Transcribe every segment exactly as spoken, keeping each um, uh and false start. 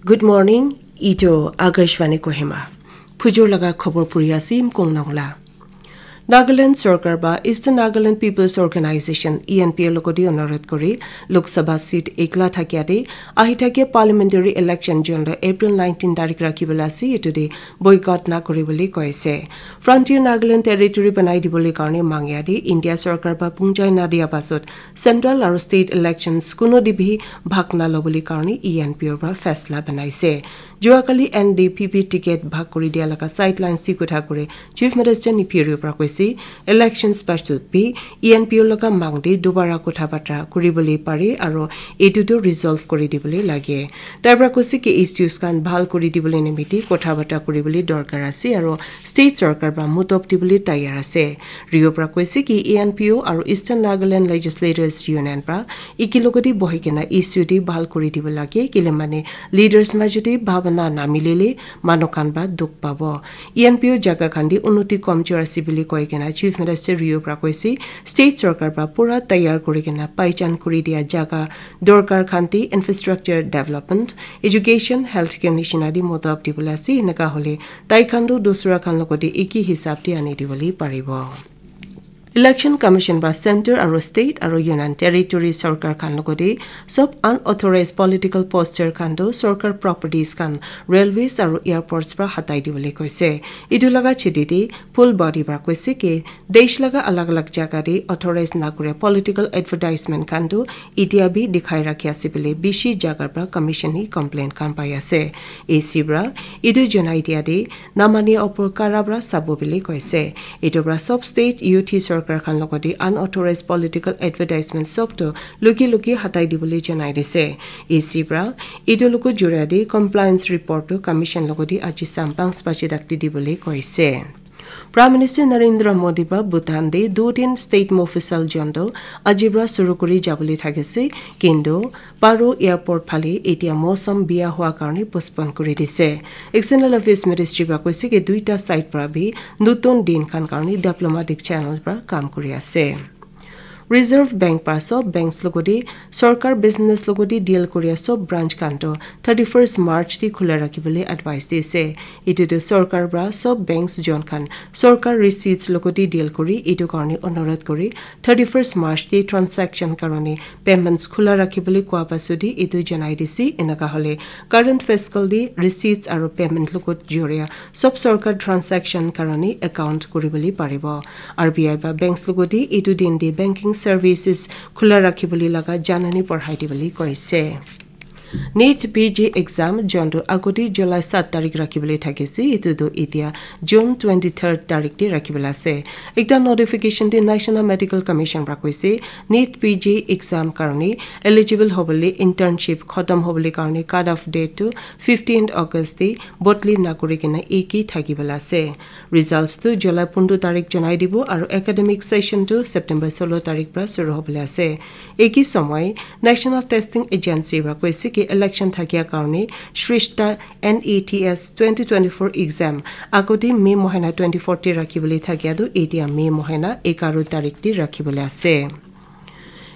Good morning, ito Akashvani Kohima. Phujur laga khobor puri ase Imkung Nongla. Nagaland Sorkar ba Eastern Nagaland People's Organization, E N P O logodi onorot kori Lok Sabha seat ekla thakia de ahi thakia parliamentary election jun lo April nineteen tarik rakhi bela ase itu de boycott na kori boli koise. Frontier Nagaland Territory banai di boli karne mangya de India Sorkar ba pungjai na dia basot Central aro state elections kuno dibhi bhag na lo boli karne E N P O ba faisla banaise. Juakali N D P P ticket bhag kuri dia laga sideline si kutha kure Chief Minister ni phiri upra koisi elections pasut bi E N P O laga mangdi dubara kutha batra kuri boli pari aro etutu resolve kuri di boli lage. Taibra koisi ke issues kan bhal kuri di boli nimiti kutha batra kuri boli dorkar ase aro state sorkar ba mutop di boli tayar ase. Rio pra koisi ki E N P O aro Eastern Nagaland Legislators Union pra iki logodi bohikena issue di bhal kuri dibo lage kilemani leaders ma jodi bhabana na milile manokan ba duk pabo. E N P O jaga khandi unuti komchura sibili koikena Chief Minister Rio pra koisi state sorkar ba pura tayar kuri kena paichan kuri dia jaga dorkar khanti infrastructure development, education, healthcare ni sinadi moto abdi bulasi hinaka hole tai khandu dusra khan logodi iki hisab di ani di boli paribo. Election Commission ba Center aro State aro Union Territory Sorkar khan logodi sob unauthorized political poster khandu sorkar properties khan railways aro airports pra hatai di bole koise. Idu laga chidi di full body pra koise ke desh laga alag alag jaga di authorized nakure political advertisement khandu idia bi dikhai rakhi ase bole bishi jaga pra commission ni complaint khan pai ase. A C bra idu jonai dia di namani opor karabra sabo bili koise. Itobra sob state U T sorkar khan logodi unauthorized political advertisement sob to luki luki hatai di bili janai dise. A C bra idu luku jura di compliance report to commission logodi aji sampang spachi dakti di bili koise. Prime Minister Narendra Modi ba Bhutan di dutin state mofisal jondo ajibra surukuri jabuli thagese kintu Paro airport phali etia mosam biya hua karni postpone kuri dise. External Affairs Ministry ba koise ke duita side pra bi nutun din khan karni diplomatic channel pra kam kuri ase. Reserve Bank pra sob banks logodi sorkar business logodi deal kuri sob branch kanto thirty-first March ti khula rakhi bole advice dise. Itu to sorkar pra sob banks jon khan sorkar receipts logodi deal kuri itu karni onorot kuri thirty-first March ti transaction karoni payments khula rakhi bole kua pasudi itu janai disi inaka hole current fiscal di receipts aro payment lugut joria sob sorkar transaction karoni account kuri bole paribo. R B I ba banks lugudi itu din di banking services khula rakhi bole laga janani porhai di bole koise. NEET P G exam jondu agodi July sat tarik rakhi bole thakisi itu do itia June twenty-third tarik di rakhi bole ase. Ekta notification di National Medical Commission pra koise NEET P G exam karni eligible hobole internship khotom hobole karni cut off date to fifteenth August di botli nakuri kena eki thaki bole ase. Results tu July pundro tarik janai dibo aro academic session tu September solo tarik pra suru hobole ase. Eki somoi National Testing Agency ba koisi ki election thakia karni Shrishta NEET twenty twenty-four exam akoti May mohena twenty-four ti rakhi bole thakia do etia May mohena ekaro tarik ti rakhi bole ase.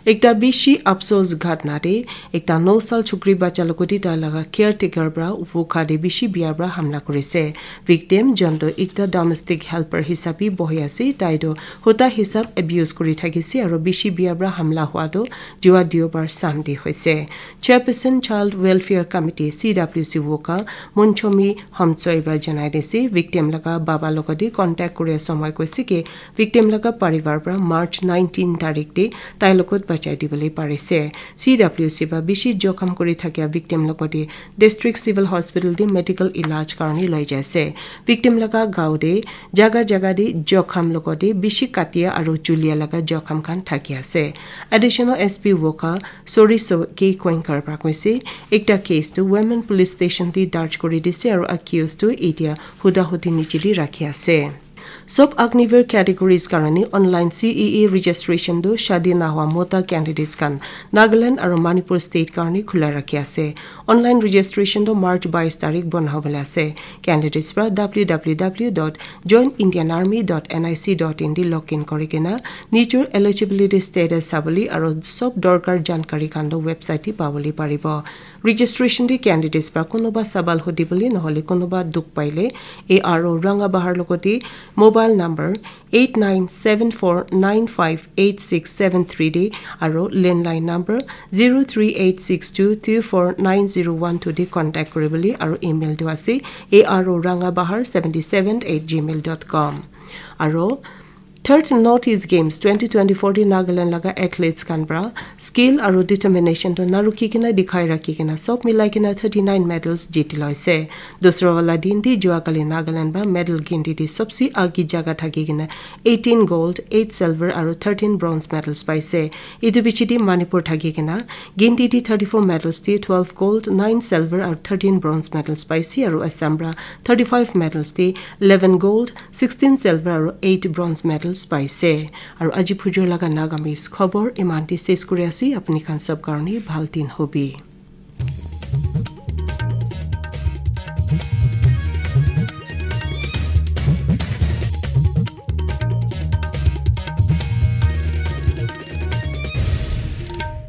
Ekta bishi afsos ghatna de, ekta no sal chukri bacha lokoti ta laga caretaker bra vokha de bishi biya bra hamla kurise. Victim jonto ekta domestic helper hisabi bohi ase, tai do hota hisab abuse kuri thakise aro bishi biya bra hamla hua do jua diobar samdi hoise. Chairperson Child Welfare Committee, C W C vokha Munchomi Hamchoi bra janai desi, victim laga baba lokoti contact kuri somoi koisi ke victim laga parivar pra March nineteen tarik di tai lokot bachai di bole parise. C W C ba bishi jokham kuri thakia victim lokoti District Civil Hospital di medical ilaj karni loi jaise. Victim laga gao de jaga jaga di jokham lokoti bishi katia aro chulia laga jokham khan thakia ase. Additional S P vokha Sori so ke Koinkar pra koise ekta case tu Women Police Station di darj kuri dise aro accused tu etia huda hudi niche di rakhi ase. Sob Agniveer categories karani online C E E registration do shadi na hua mota candidates kan Nagaland aro Manipur state karani khula rakhi ase. Online registration do March bais tarik bon hobole ase. Candidates pra w w w dot join indian army dot n i c dot in di login kori kena nijor eligibility status sabali aro sob dorkar jankari kan do website ti pabali paribo. Registration di candidates ba kunuba sabal hudi bili nohole kunuba duk paile A R O Ranga Bahar logoti mobile number eight nine seven four nine five eight six seven three di aro landline number zero three eight six two two four nine zero one two di contact kori bili aro email do ase A R O Ranga Bahar seventy seven at gmail dot com. Aro Third North East Games twenty twenty-four di Nagaland laga athletes kan bra skill aro determination to narukhi kena dikhai rakhi kena sob milai kena thirty nine medals jiti loise. Dusra wala din di juakali Nagaland ba medal gindi di sobsi agi jaga thagi kena eighteen gold, eight silver aro thirteen bronze medals paise. Idu bichi di Manipur thagi kena gindi di thirty four medals di twelve gold, nine silver aro thirteen bronze medals paise aro Assam bra thirty five medals di eleven gold, sixteen silver aro eight bronze medals paise. Aro aji phujur laga Nagamese khobor imanti ses kuri asi apni khan sob karni bhaltin hobi.